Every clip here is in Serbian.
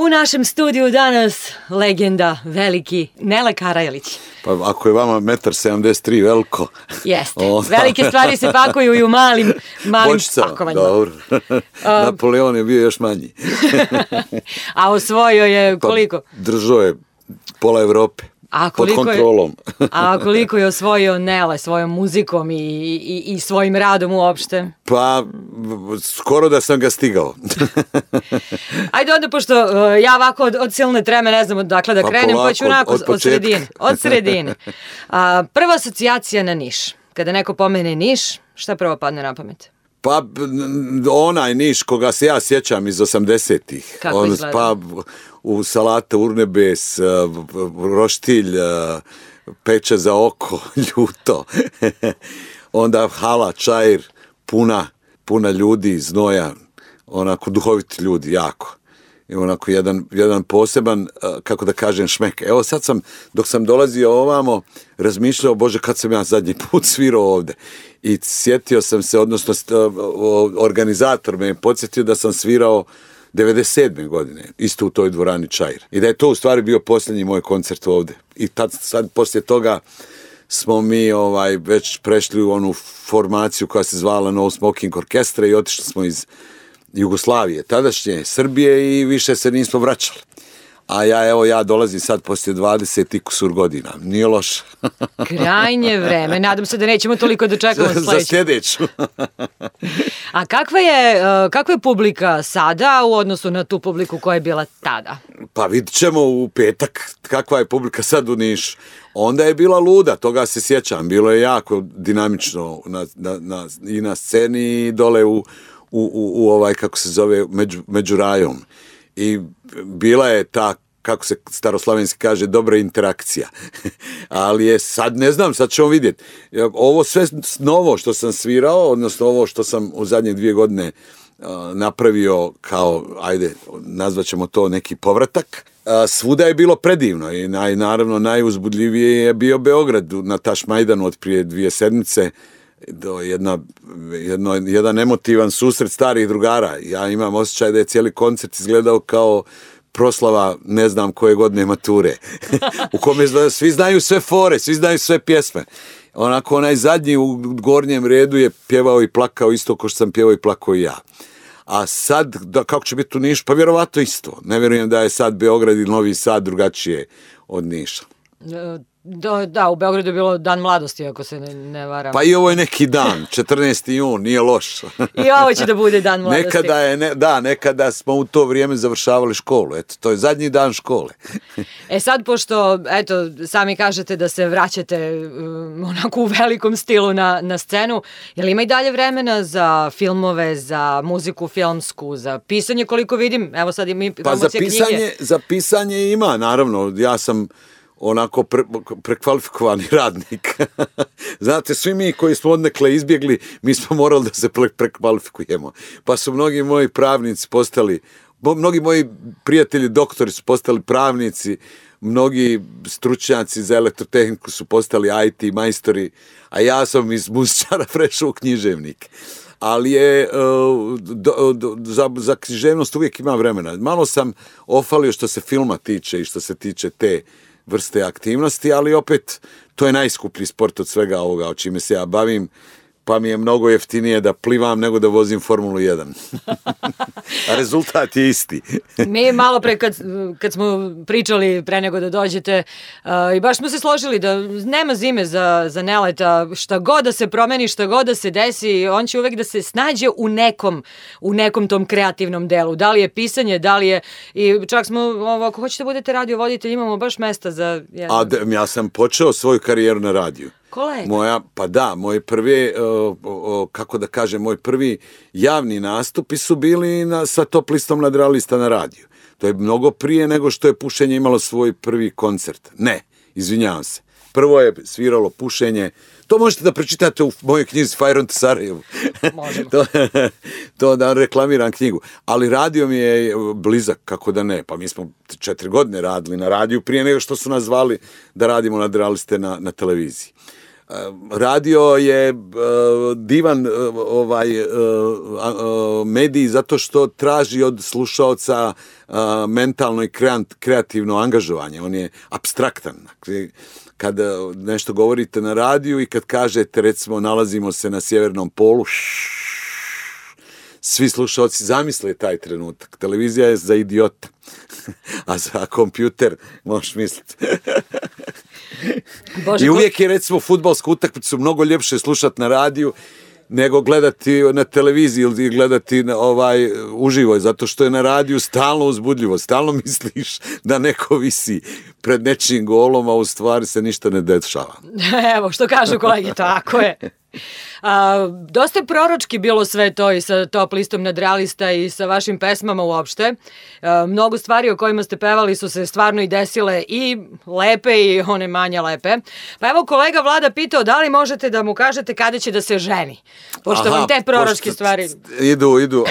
U našem studiju danas legenda veliki Nele Karajlić. Pa ako je vama 1,73 veliko... Jeste. Velike stvari se pakuju i u malim pakovanjima. Dobro. Napoleon je bio još manji. A osvojio je koliko? Pa držao je pola Evrope. Pod kontrolom. A koliko je osvojio Nele svojom muzikom i svojim radom uopšte? Pa, skoro da sam ga stigao. Ajde onda, pošto ja ovako od silne treme ne znam odakle da krenem, pa ću onako od sredine. Prva asocijacija na Niš. Kada neko pomene Niš, šta prvo padne na pamet? Pa, onaj Niš koga se ja sjećam iz 80-ih. Kako izgleda? Pa, u salata urnebes, roštilj, peče za oko, ljuto. Onda hala, čajir, puna ljudi, znoja, onako duhoviti ljudi, jako. I onako jedan poseban, kako da kažem, šmek. Evo sad dok sam dolazio ovamo, razmišljao, Bože, kad sam ja zadnji put svirao ovde. I sjetio sam se, odnosno organizator me je podsjetio da sam svirao 97. godine, isto u toj dvorani Čajir. I da je to u stvari bio posljednji moj koncert ovde. I sad poslije toga smo mi već prešli u onu formaciju koja se zvala No Smoking Orkestra i otišli smo iz Jugoslavije, tadašnje Srbije, i više se nismo vraćali. A ja dolazim sad poslije 20 i kusur godina. Nije loše. Krajnje vreme. Nadam se da nećemo toliko da čekamo sledeću. Za sljedeću. A kakva je publika sada u odnosu na tu publiku koja je bila tada? Pa vidit ćemo u petak kakva je publika sad u Nišu. Onda je bila luda, toga se sjećam. Bilo je jako dinamično i na sceni i dole u kako se zove, među rajom. I bila je ta, kako se staroslavenski kaže, dobra interakcija. Ali je sad, ne znam, sad ćemo vidjeti. Ovo sve novo što sam svirao, odnosno ovo što sam u zadnje 2 godine napravio kao, ajde, nazvat ćemo to neki povratak, svuda je bilo predivno i naravno najuzbudljivije je bio Beograd na Tašmajdanu od prije 2 sedmice. Jedan emotivan susret starih drugara. Ja imam osjećaj da je cijeli koncert izgledao kao proslava ne znam koje godine mature. U kome svi znaju sve fore, svi znaju sve pjesme. Onako onaj zadnji u gornjem redu je pjevao i plakao isto kao što sam pjevao i plakao i ja. A sad, kako će biti u Nišu? Pa vjerovatno isto. Ne vjerujem da je sad Beograd ili Novi Sad drugačije od Niša. Da, u Beogradu je bilo Dan mladosti, ako se ne varam. Pa i ovo je neki dan, 14. jun, nije loš. I ovo će da bude Dan mladosti. Nekada smo u to vrijeme završavali školu. Eto, to je zadnji dan škole. Sad, pošto, eto, sami kažete da se vraćate onako u velikom stilu na scenu, je li ima i dalje vremena za filmove, za muziku filmsku, za pisanje, koliko vidim? Evo sad mi promocija knjige. Za pisanje ima, naravno. Ja sam onako prekvalifikovani radnik. Znate, svi mi koji smo odnekle izbjegli, mi smo morali da se prekvalifikujemo. Pa su mnogi moji pravnici postali, mnogi moji prijatelji doktori su postali pravnici, mnogi stručnjaci za elektrotehniku su postali IT majstori, a ja sam iz muzičara prešao u književnik. Ali je za književnost uvijek ima vremena. Malo sam ofalio što se filma tiče i što se tiče te vrste aktivnosti, ali opet to je najskuplji sport od svega ovoga o čime se ja bavim, pa mi je mnogo jeftinije da plivam nego da vozim Formulu 1. A rezultat je isti. Mi malo pre kad smo pričali pre nego da dođete i baš smo se složili da nema zime za Neleta, šta god da se promeni, šta god da se desi, on će uvek da se snađe u nekom tom kreativnom delu. Da li je pisanje, da li je, i čak smo, ako hoćete budete radio voditelj, imamo baš mesta za... Ja sam počeo svoju karijeru na radiju. Moj prvi, kako da kažem, moj prvi javni nastupi su bili sa Top listom nadrealista na radiju. To je mnogo prije nego što je pušenje imalo svoj prvi koncert. Ne, izvinjavam se. Prvo je sviralo pušenje. To možete da pročitate u mojoj knjizi Fire on to Sarajevo. Možemo. To da reklamiram knjigu. Ali radio mi je blizak, kako da ne. Pa mi smo 4 godine radili na radiju prije nego što su nas zvali da radimo nadrealiste na televiziji. Radio je divan medij zato što traži od slušaoca mentalno i kreativno angažovanje. On je apstraktan. Kad nešto govorite na radiju i kad kažete, recimo, nalazimo se na sjevernom polu, svi slušaoci zamisle taj trenutak. Televizija je za idiota, a za kompjuter možeš misliti. I uvijek je, recimo, fudbalsku utakmicu mnogo ljepše slušati na radiju nego gledati na televiziji ili gledati uživo, zato što je na radiju stalno uzbudljivo, stalno misliš da neko visi pred nečim golom, a u stvari se ništa ne dešava. Evo, što kažu kolege, tako je. Dosta je proročki bilo sve to i sa Top listom nadrealista i sa vašim pesmama uopšte. Mnogo stvari o kojima ste pevali su se stvarno i desile i lepe i one manje lepe. Pa evo, kolega Vlada pitao da li možete da mu kažete kada će da se ženi. Pošto vam te proročke stvari... Idu,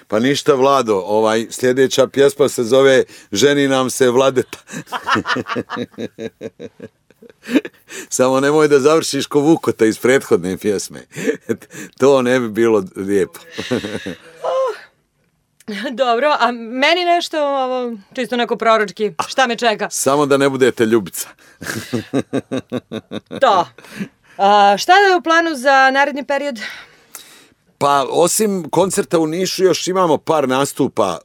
pa ništa, Vlado, sljedeća pjesma se zove Ženi nam se Vladeta. Samo nemoj da završiš ko Vukota iz prethodne pjesme. To ne bi bilo lijepo. Dobro, a meni nešto čisto neko proročki, šta me čeka? Samo da ne budete Ljubica. To. Šta je u planu za naredni period? Pa, osim koncerta u Nišu, još imamo par nastupa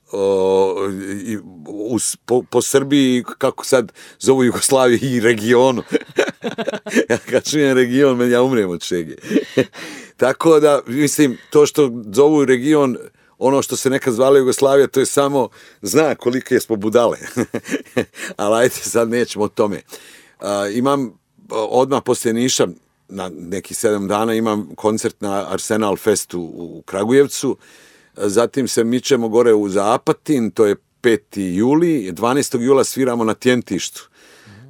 po Srbiji, kako sad zovu Jugoslaviju, i regionu. Ja kad čujem region, ja umrem od šege. Tako da, mislim, to što zovu region, ono što se nekad zvala Jugoslavija, to je samo znak kolike smo budale. Ali ajde, sad nećemo o tome. Imam odmah poslije Niša, na nekih 7 dana imam koncert na Arsenal Festu u Kragujevcu, zatim se mičemo gore za Apatin, to je 5. juli, 12. jula sviramo na Tjentištu,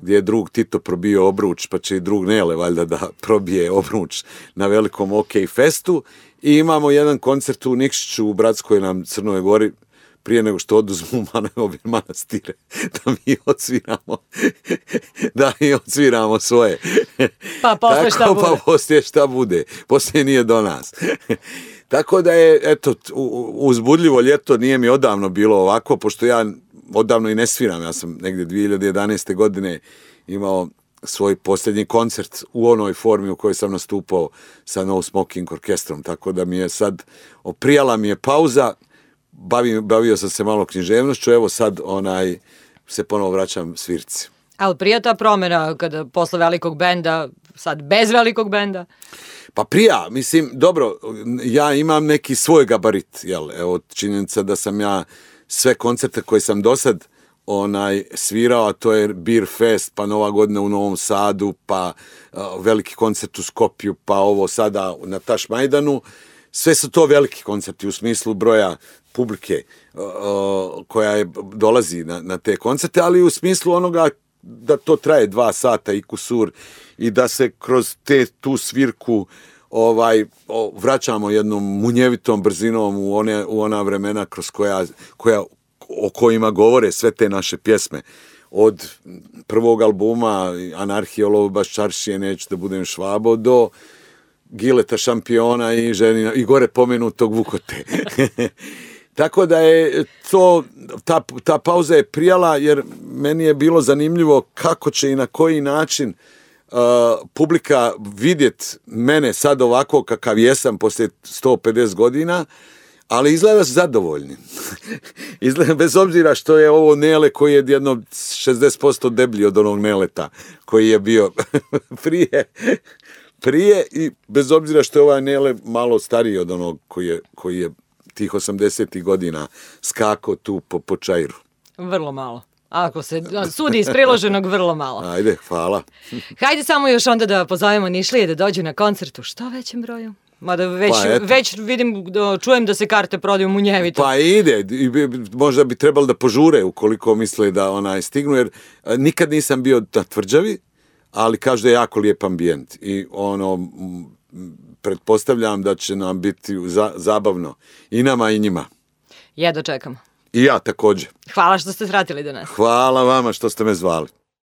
gdje je drug Tito probio obruč, pa će i drug Nele valjda da probije obruč na velikom OK Festu, i imamo jedan koncert u Nikšiću u Bratskoj nam Crnoj Gori, prije nego što oduzmu manastire, da mi odsviramo svoje. Pa posle šta bude? Pa poslije šta bude. Poslije nije do nas. Tako da je, eto, uzbudljivo ljeto, nije mi odavno bilo ovako, pošto ja odavno i ne sviram. Ja sam negdje 2011. godine imao svoj posljednji koncert u onoj formi u kojoj sam nastupao sa No Smoking orkestrom. Tako da mi je sad, oprijala mi je pauza, bavio sam se malo književnošću, evo sad se ponovo vraćam svirci. Ali prija ta promjena kada posle velikog benda, sad bez velikog benda? Pa prija, mislim, dobro, ja imam neki svoj gabarit, evo, činjenica da sam ja sve koncerte koje sam do sad svirao, a to je Beer Fest, pa Nova godina u Novom Sadu, pa veliki koncert u Skopju, pa ovo sada na Tašmajdanu, sve su to veliki koncerti u smislu broja publike koja dolazi na te koncerte, ali u smislu onoga da to traje 2 sata i kusur i da se kroz tu svirku vraćamo jednom munjevitom brzinom u ona vremena kroz o kojima govore sve te naše pjesme. Od prvog albuma Anarhije, Olovo baš čaršije, Neću da budem Švabo, do Gileta Šampiona i gore pomenutog Vukote. Tako da je ta pauza je prijala, jer meni je bilo zanimljivo kako će i na koji način publika vidjet mene sad ovako kakav jesam poslije 150 godina, ali izgleda zadovoljni. Izgleda, bez obzira što je ovo Nele koji je jedno 60% deblji od onog Neleta koji je bio prije, i bez obzira što je ovaj Nele malo stariji od onog koji je tih 80. godina skakao tu po čairu. Vrlo malo. Ako se sudi iz priloženog, vrlo malo. Ajde, hvala. Hajde samo još onda da pozovemo Nišlije da dođu na koncert u što većem broju. Mada već vidim, čujem da se karte prodaju munjevito. Pa ide, možda bi trebalo da požure ukoliko misle da stignu, jer nikad nisam bio na Tvrđavi, ali kažu da je jako lijep ambijent i pretpostavljam da će nam biti zabavno i nama i njima. Jedva čekam. I ja također. Hvala što ste svratili do nas. Hvala vama što ste me zvali.